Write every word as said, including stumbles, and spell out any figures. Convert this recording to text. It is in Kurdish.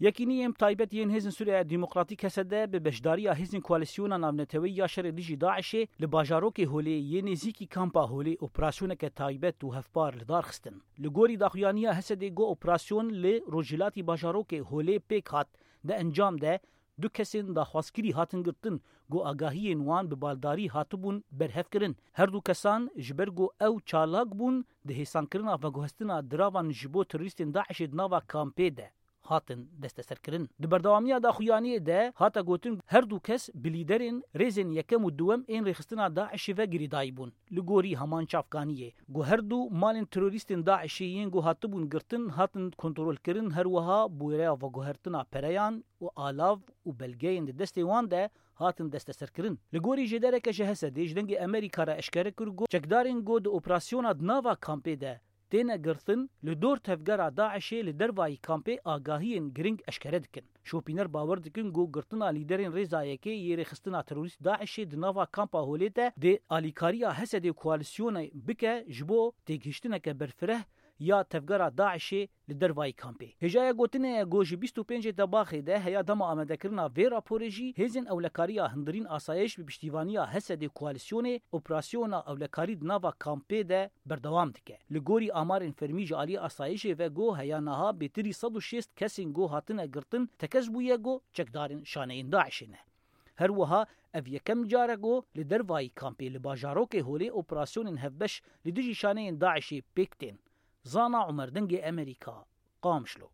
Yekînî yên taybet yên Hêzên Sûriya Demokratîk, H S D, bi beşdariya hêzên koalîsyona navneteweyî ya şerê dijî DAIŞê li bajarokê Holê yê nêzîkî kampa Holê operasyoneke taybet û hevpar li dar xistin. Li gorî daxuyaniya H S D'ê, got, operasyon li rojhilatî bajarokê Holê pêk hat. Di encam de du kesên daxwazkirî hatin girtin, got, agahiyên wan bi baldarî hatibûn berhevkirin. Her du kesan, ji ber ku ew çalak bûn, di hêsankirina veguhestina diravan ji bo terorîstên DAIŞê di nava kampê de hatin desteserkirin. Di berdewamiya daxuyaniyê de hate gotin, her du kes bi lîderên rêzên yekem û duwem ên rêxistina DAIŞê ve girêdayî bûn. Li gorî heman çavkaniyê, ku her du malên terorîstên DAIŞê yên ku hatibûn girtin hatin kontrolkirin, her wiha bi wêreya veguhertina pereyan û alav û belgeyên di destê wan de hatin desteserkirin. Li gorî jêdereke ji H S D'ê, ji Dengê Amerîka re eşkere kir, got, çekdarên ku di operasyona di nava kampê de têne girtin, li dor tevgera DAIŞê li dervayî kampê agahiyên giring eşkere dikin. Şopîner bawer dikin ku girtina lîderên rêza yekê yê rêxistina terorîst DAIŞê di nava kampa Holê de dê alîkariya H S D'ê û koalîsyonê bike ji bo têgihiştineke berfireh ya tevgera DAIŞê li dervayî kampê. Hêjaya gotinê ye ku ji bîst û pêncê Tebaxê de heya dema amadekirina vê raporê jî hêzên ewlekariya hundirîn asayiş bi piştîvaniya H S D'ê û koalîsyonê operasyona ewlekarî di nava kampê de berdewam dike. Li gorî amarên fermî ji aliyê asayişê ve, ku heya niha bêtirî sed û şêst kesên ku hatine girtin tekez bûye ku çekdarên şaneyên DAIŞê ne. Her wiha ev yekem car e ku li dervayî kampê li bajarokê Holê operasyonên hevbeş li dijî şaneyên DAIŞê pêk tên. Zana Umer, Dengê Amerîka, Qamişlo.